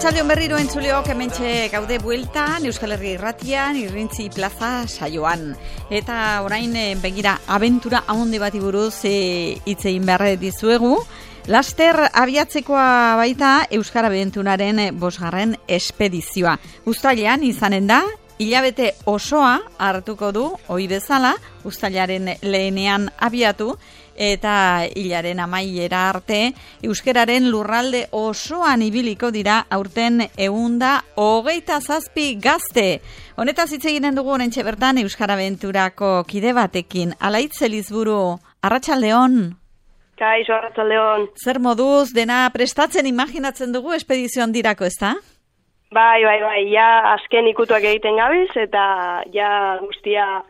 Arratsaldeon berriro entzuleok hementxe gaude bueltan Euskal Herria Irratian Irrintzi Plaza saioan. Eta orain begira abentura handi bati buruz hitz egin behar dizuegu. Laster abiatzekoa baita Euskara Abenturaren 5. espedizioa. Uztailean izanen da, hilabete osoa hartuko du, ohi bezala, uztailaren lehenean abiatu, eta hilaren amaiera arte, euskararen lurralde osoan ibiliko dira aurten 127 gazte. Honetaz hitz eginen dugu oraintxe bertan Euskara Abenturako kide batekin. Alaitz Elizburu, arratsaldeon. Kaixo, arratsaldeon. Zer moduz dena prestatzen imaginatzen dugu espedizio handirako, ezta? Bai, ja azken ikutuak egiten gabiz eta ja guztia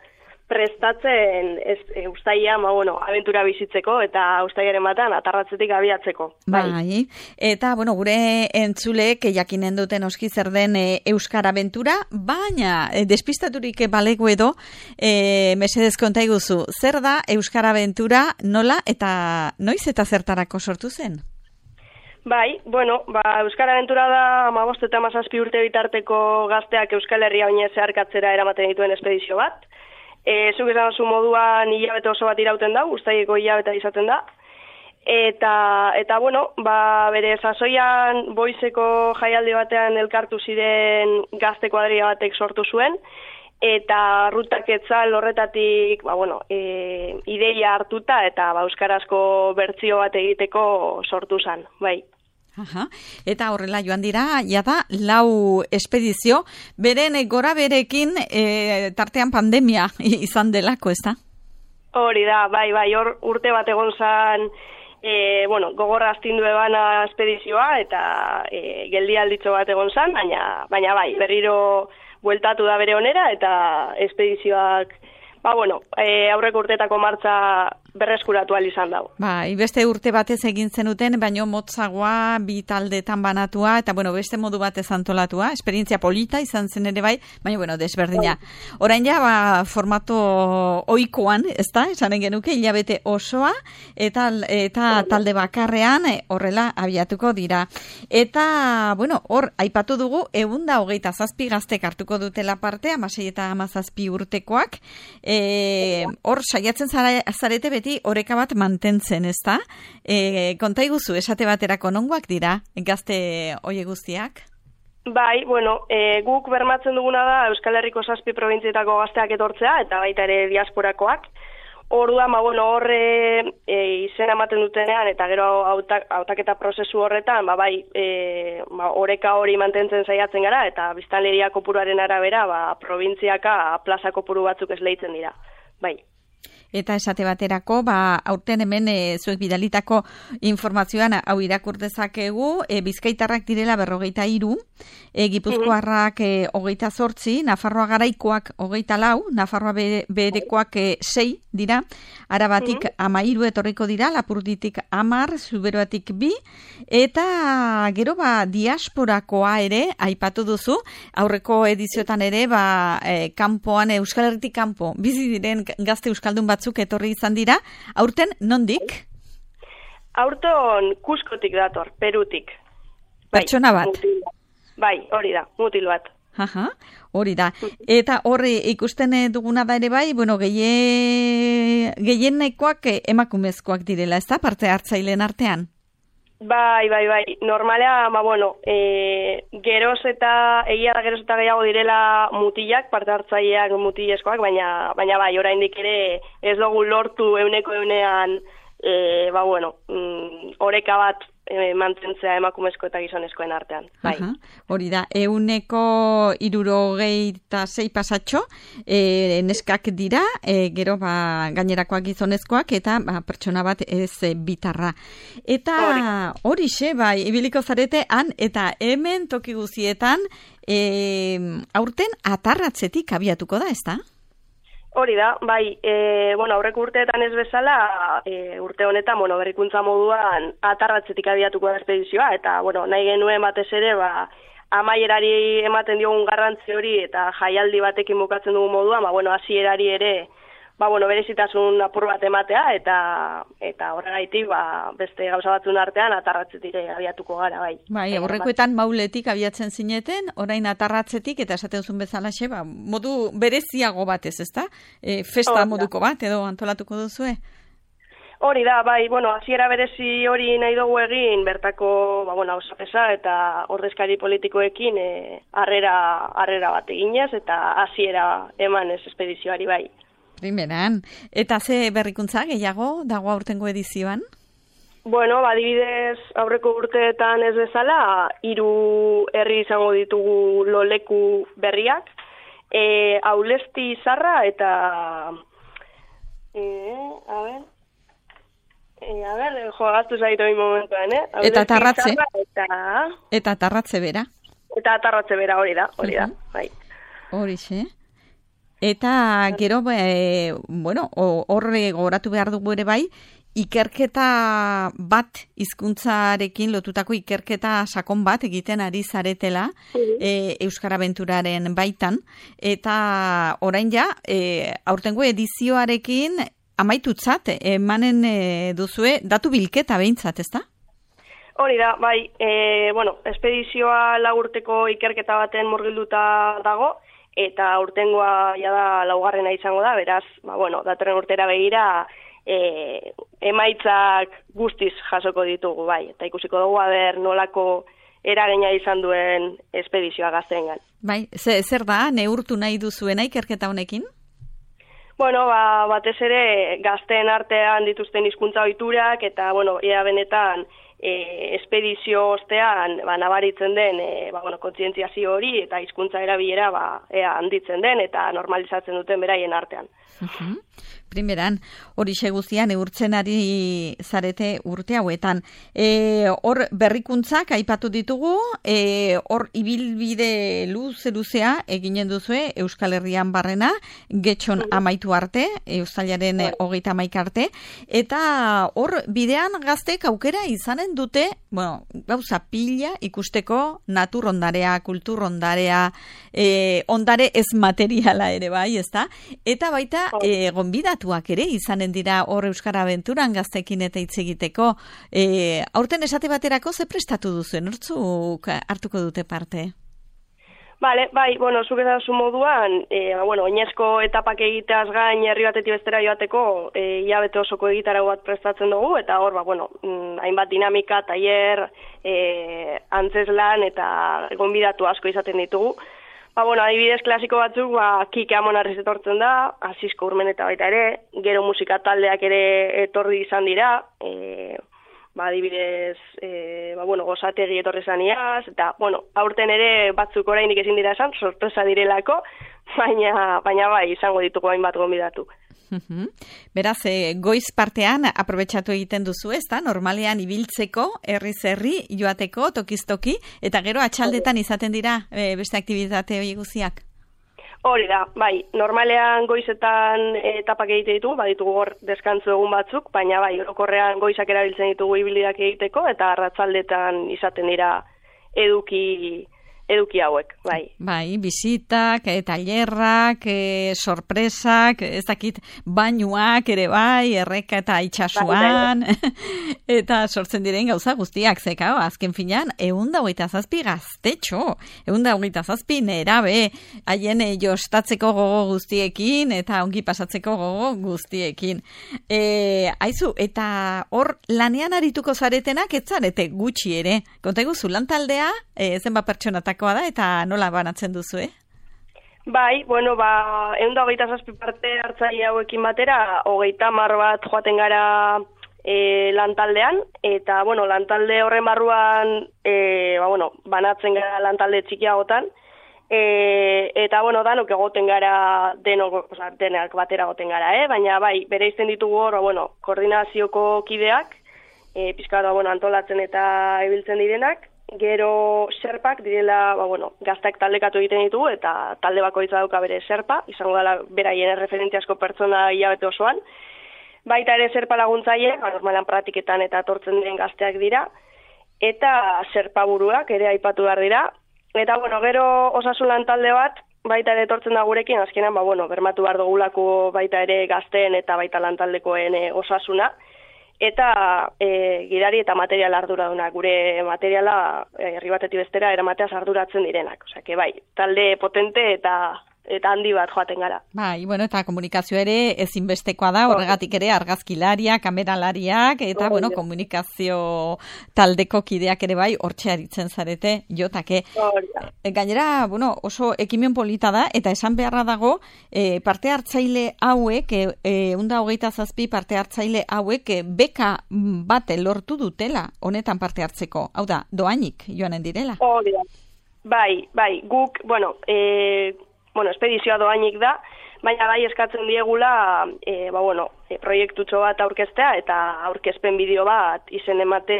prestatzen uztaila, abentura bizitzeko eta uztailaren batan atarratzetik abiatzeko. Bai. Eta gure entzuleek jakinen duten oski zer den Euskara Abentura, baina despistaturik balego edo mesedez konta iguzu, zer da Euskara Abentura, nola eta noiz eta zertarako sortu zen? Bai, Euskara Abentura da 15 eta 17 urte bitarteko gazteak Euskal Herria oinez zeharkatzera eramaten dituen espedizio bat. Zuk esan zu moduan hilabete oso bat irauten da, uztaileko hilabeta izaten da. Eta bere sasoian Boizeko jaialdi batean elkartu ziren gazte kuadrilla batek sortu zuen, eta rutak etzal horretatik, ideia hartuta eta euskarazko bertsio bat egiteko sortu zen, bai. Aha. Eta horrela joan dira, jada, 4 espedizio, beren gora berekin tartean pandemia izan delako, ezta? Hori da, bai, hor urte bat egon zan, gogorra astindu ebana espedizioa, eta geldialditxo bat egon zan, baina bai, berriro bueltatu da bere onera, eta espedizioak, aurreko urteetako martza berreskuratu izan dago. Bai, beste urte batez egin zenuten, baino motzagoa, 2 taldetan banatua, eta beste modu batez antolatua, esperientzia polita izan zen ere bai, baina desberdina. Orain ja, formato ohikoan, ezta, esanen genuke, hilabete osoa, eta talde bakarrean horrela abiatuko dira. Eta, hor, aipatu dugu, 127 gaztek hartuko dutela parte, 16 eta 17 urtekoak, hor saiatzen zarete beti oreka bat mantentzen, ezta? Konta iguzu, esate baterako nongoak dira gazte hoie guztiak? Bai, guk bermatzen duguna da Euskal Herriko 7 probintzietako gazteak etortzea, eta baita ere diasporakoak. Orduan, horre izena ematen dutenean, eta gero hautaketa prozesu horretan, oreka hori mantentzen saiatzen gara, eta biztanleria kopuruaren arabera, probintziaka plaza kopuru batzuk esleitzen dira. Bai. Eta esate baterako, aurten hemen zuek bidalitako informazioan hau irakur dezakegu, Bizkaitarrak direla 43, Gipuzkoarrak 28, Nafarroa Garaikoak 24, Nafarroa Beherekoak 6 dira, Arabatik 13 etorriko dira, Lapurditik 10, Zuberoatik 2, eta gero diasporakoa ere, aipatu duzu, aurreko ediziotan ere, kanpoan, Euskal Herritik kanpo, bizi diren gazte euskaldun batzuk etorri izan dira, aurten nondik? Aurton Kuskotik dator, Perutik. Pertsona bat? Bai, hori da, mutil bat. Aha, hori da. Eta horri ikusten duguna da ere bai, gehienekoak emakumezkoak direla, ez da, parte hartzaileen artean? Bai. Normalea, geroz eta gehiago direla mutilak, parte hartzaileak mutilezkoak, baina bai, oraindik ere ez dugu lortu 100%, oreka bat mantentzea emakumezko eta gizonezkoen artean. Bai. Hori da, 176 pasatxo, neskak dira, gero gainerakoak gizonezkoak, eta pertsona bat ez bitarra. Eta horixe, ibiliko zarete han, eta hemen toki guzietan, aurten atarratzetik abiatuko da, ez da? Hori da, bai, aurreko urteetan ez bezala, urte honetan, berrikuntza moduan atarratzetik abiatuko da espedizioa, eta, nahi genuen batez ere, amaierari ematen diogun garrantzi hori, eta jaialdi batekin bukatzen dugu moduan, hasierari ere berezitasun apur bat ematea, eta horregaitik, beste gauza batzun artean, atarratzetik abiatuko gara, bai. Bai, aurrekoetan mauletik abiatzen zineten, orain atarratzetik, eta esaten zuen bezalaxe, modu bereziago batez, ezta? Festa moduko bat, edo antolatuko duzue? Hori da, bai, hasiera berezi hori nahi dugu egin, bertako, hausapesa eta ordezkari politikoekin harrera bat eginez, eta hasiera emanez espedizioari, bai. Primeran. Eta ze berrikuntza gehiago dago aurtengo edizioan? Adibidez, aurreko urteetan ez bezala, 3 herri izango ditugu loleku berriak, Aulesti Zarra eta... gaztu zaitu egin momentuan, Eta Tarratze. Eta Tarratze bera. Eta Tarratze bera, hori da, bai. Horixe. Eta gero, horre goratu behar dugu ere bai, ikerketa bat, hizkuntzarekin lotutako ikerketa sakon bat egiten ari zaretela Euskara Abenturaren baitan, eta orain ja, aurtengo edizioarekin amaitutzat, emanen duzue, datu bilketa behintzat, ezta? Hori da, bai, espedizioa 4 urteko ikerketa baten murgilduta dago, eta urtengoa jada 4. izango da, beraz, datorren urtera begira, emaitzak guztiz jasoko ditugu, bai, eta ikusiko dugu nolako eragina izan duen espedizioa gazteengan. Bai, zer da, neurtu nahi duzuena ikerketa honekin? Batez ere gazteen artean dituzten hizkuntza ohiturak eta, ea benetan espedizio ostean nabaritzen den kontzientziazio hori eta hizkuntza erabilera ea handitzen den eta normalizatzen duten beraien artean. Primeran, hori guztian neurtzen ari zarete urte hauetan. Hor berrikuntzak aipatu ditugu, hor ibilbide luzea eginen duzue Euskal Herrian barrena, getxon amaitu arte, Uztailaren 31 arte, eta hor bidean gaztek aukera izanen dute, gauza pila ikusteko naturondarea, kulturondarea, ondare ez materiala ere bai, ezta? Eta baita gonbidatuak ere izanen dira hor Euskara Abenturan gaztekin eta hitz egiteko. Aurten esate baterako ze prestatu duzuen, nortzuk hartuko dute parte? Bai, zuk ezazu moduan, oinezko etapak egiteaz gain herri batetik bestera joateko, hilabete osoko egitarau bat prestatzen dugu, eta hor, hainbat dinamika, tailer, antzeslan eta gonbidatu asko izaten ditugu. Adibidez klasiko batzuk, Kike Amonarriz etortzen da, Asisko Urmeneta baita ere, gero musika taldeak ere etorri izan dira, adibidez, Gozategi etorri zaniaz, eta, aurten ere batzuk orainik ezin dira esan, sorpresa direlako, baina bai, izango ditugu hainbat gonbidatu. Beraz, goiz partean aprobetxatu egiten duzu, ezta? Normalean ibiltzeko, herriz herri, joateko, tokiz-toki, eta gero atxaldetan izaten dira beste aktibitate hori guziak? Hori da, bai, normalean goizetan etapak egite ditugu, baditugu hor deskantzu egun batzuk, baina bai, orokorrean goizak erabiltzen ditugu ibilbideak egiteko, eta arratsaldetan izaten dira eduki hauek, bai. Bai, bisitak, tailerrak, sorpresak, ez dakit, bainuak ere bai, erreka eta itxasuan, eta sortzen diren gauza guztiak, zeka, azken finan, 127 gaztetxo, 127 nerabe, haien jostatzeko gogo guztiekin, eta ongi pasatzeko gogo guztiekin. Aizu, eta hor lanean arituko zaretenak, ez zarete gutxi ere, konta eguzu, lantaldea, zenba pertsonatak da eta nola banatzen duzu, Bai, 127 parte hartzaile hauekin batera, 30 bat joaten gara lantaldean, eta, lantalde horren barruan, banatzen gara lantalde txikiagotan, eta, danok egoten gara, denak batera egoten gara, baina, bai, bere izten ditugu hor, koordinazioko kideak, pizkat, antolatzen eta ibiltzen direnak, gero serpak direla, gaztak taldekatu egiten ditugu, eta talde bakoitza dauka bere serpa, izango dela beraien erreferentziasko pertsona hilabete osoan. Baita ere serpa laguntzaile, normalan praktiketan eta tortzen diren gazteak dira, eta serpa buruak ere aipatu behar dira. Eta, gero osasun lan talde bat, baita ere etortzen da gurekin, azkenan, bermatu behar dugulako baita ere gazteen eta baita lantaldekoen osasuna, eta gidari eta material arduraduna, gure materiala herri batetik bestera eramateaz arduratzen direnak. Osea, bai, talde potente eta handi bat joaten gara. Bai, eta komunikazio ere ezinbestekoa da, horregatik ere argazkilariak, kameralariak, eta, komunikazio taldeko kideak ere bai, hortxe aritzen zarete, jotake. Gainera, oso ekimen polita da, eta esan beharra dago, parte hartzaile hauek, 127 parte hartzaile hauek, beka bat lortu dutela, honetan parte hartzeko. Hau da, doainik joanen direla. Bai, guk, espedizioa doainik da, baina bai eskatzen diegula, proiektutxo bat aurkeztea eta aurkezpen bideo bat izen emate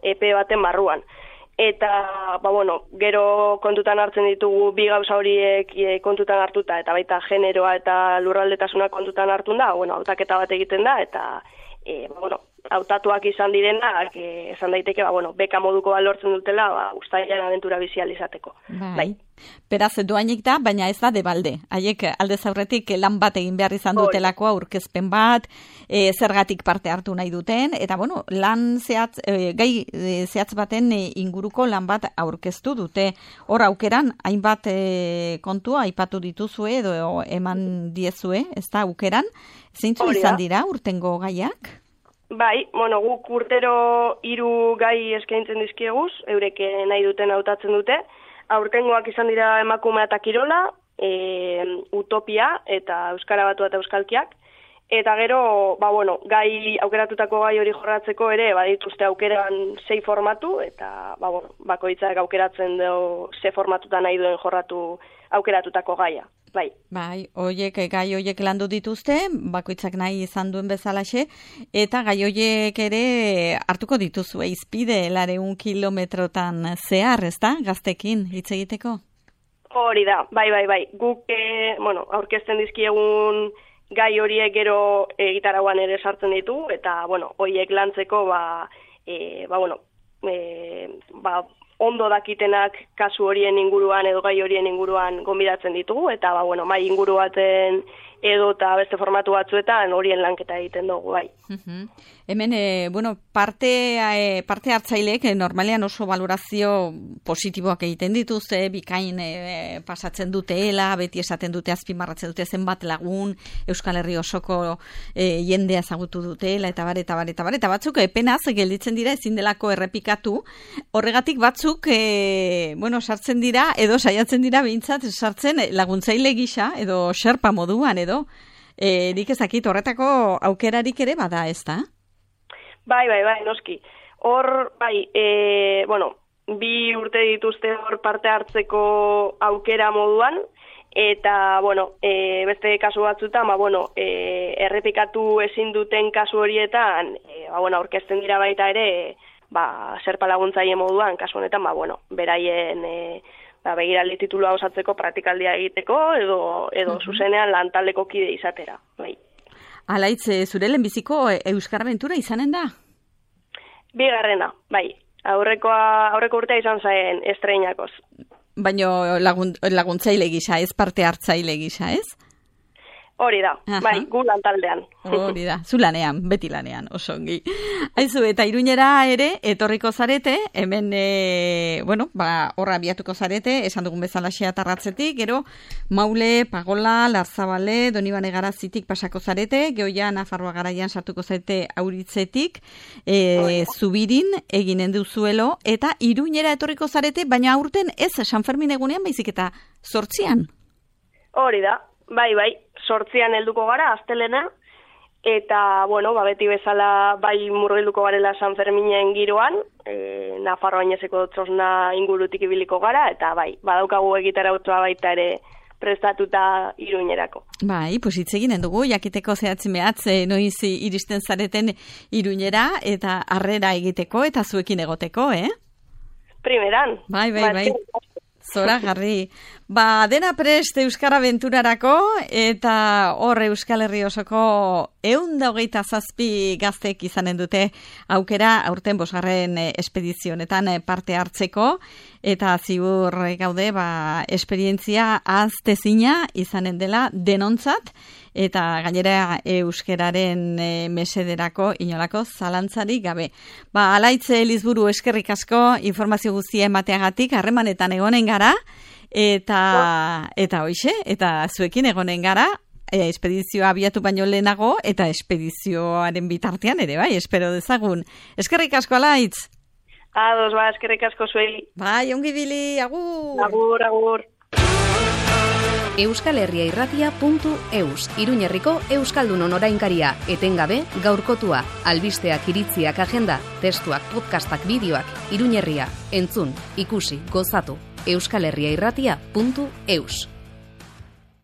EP baten barruan. Eta, gero kontutan hartzen ditugu bi gauza horiek kontutan hartuta, eta baita generoa eta lurraldetasuna kontutan hartun da, hautaketa bat egiten da, eta, hautatuak izan direnak, esan daiteke, beka moduko bat lortzen dutela, uztailean abentura bizial izateko. Bai. Beraz, doainik da, baina ez da debalde. Haiek aldez aurretik lan bat egin behar izan dutelako aurkezpen bat, zergatik parte hartu nahi duten, eta lan zehatz, gai zehatz baten inguruko lan bat aurkeztu dute. Hor aukeran, hainbat kontua aipatu dituzue edo eman diezue, ez da aukeran, zeintzu izan dira urtengo gaiak? Bai, guk urtero 3 gai eskaintzen dizkieguz, eurek nahi duten hautatzen dute. Aurtengoak izan dira emakumea eta kirola, utopia eta euskara batua eta euskalkiak. Eta gero, gai aukeratutako gai hori jorratzeko ere, badituzte aukeran 6 formatu, eta bakoitzak aukeratzen du ze formatuta nahi duen jorratu aukeratutako gaia. Bai, gai hoiek landu dituzte, bakoitzak nahi izan duen bezalaxe, eta gai hoiek ere hartuko dituzu, izpide 200 kilometrotan zehar, ez da, gaztekin hitz egiteko? Hori da, bai. Guk, aurkezten dizkiegun gai horiek gero gitarauan ere sartzen ditu, eta, horiek lantzeko, ondo dakitenak kasu horien inguruan edo gai horien inguruan gonbidatzen ditugu, eta mai inguru baten edo eta beste formatu batzuetan horien lanketa egiten dugu, bai. Hemen, parte hartzaileek normalean oso valorazio positiboak egiten dituzte, bikain pasatzen duteela, beti esaten dute, azpimarratzen dute zenbat lagun, Euskal Herri osoko jendea ezagutu dutela, eta batzuk penaz gelditzen dira ezin delako errepikatu, horregatik batzuk, sartzen dira, edo saiatzen dira behintzat, sartzen laguntzaile gisa, edo xerpa moduan, edo, nik ezakit horretako aukerarik ere bada, ez da? Bai, noski. Hor, bi urte dituzte hor parte hartzeko aukera moduan, eta, beste kasu batzutan, errepikatu ezin duten kasu horietan, aurkezten dira baita ere, serpa laguntzaile moduan, kasu honetan, beraien begiraldi titulua osatzeko praktikaldia egiteko, edo zuzenean lantaldeko kide izatera, bai. Alaitz, zure lehenbiziko Euskara Abentura izanen da? Bigarrena, bai. Aurreko urtea izan zaen estreinakoz. Baina laguntzaile gisa, ez parte hartzaile gisa, ez? Hori da, bai, gu lantaldean. Hori da, zu lanean, beti lanean, oso ongi. Aizu, eta Iruñera ere, etorriko zarete, hemen, horra abiatuko zarete, esan dugun bezala Tarratzetik, gero, Maule, Pagola, Larzabale, Donibane Garazitik pasako zarete, Geoia, Nafarroa Garaian sartuko zarete Auritzetik, Zubirin eginen duzuelo, eta Iruñera etorriko zarete, baina aurten ez San Fermin egunean, baizik eta 8an. Hori da, bai, 8an helduko gara, astelena, eta, beti bezala bai murgilduko garela San Ferminen giroan, Nafarroa Inezeko txosna ingurutik ibiliko gara, eta bai, badaukagu egitarautzoa baita ere prestatuta Iruñerako. Bai, hitz eginen dugu, jakiteko zehatzen mehatz, noiz iristen zareten Iruñera, eta harrera egiteko, eta zuekin egoteko, Primeran. Bai. Zoragarri. Dena prest Euskara Aventurarako, eta hor Euskal Herri osoko 127 gaztek izanen dute aukera aurten 5. espedizionetan parte hartzeko, eta ziur gaude esperientzia aztezina izanen dela denontzat, eta gainera euskeraren mesederako inolako zalantzarik gabe. Alaitze Elizburu, eskerrik asko informazio guztia emateagatik, harremanetan egonen gara, eta hoixe, eta zuekin egonen gara, espedizioa abiatu baino lehenago, eta espedizioaren bitartean ere, espero dezagun. Eskerrik asko, Alaitz! Ados, eskerrik asko zuei. Ongi bili, agur! Agur. euskalherriairratia.eus, Iruñerriko Euskaldunon orainkaria, etengabe, gaurkotua, albisteak, iritziak, agenda, testuak, podcastak, bideoak, Iruñerria, entzun, ikusi, gozatu, euskalherriairratia.eus.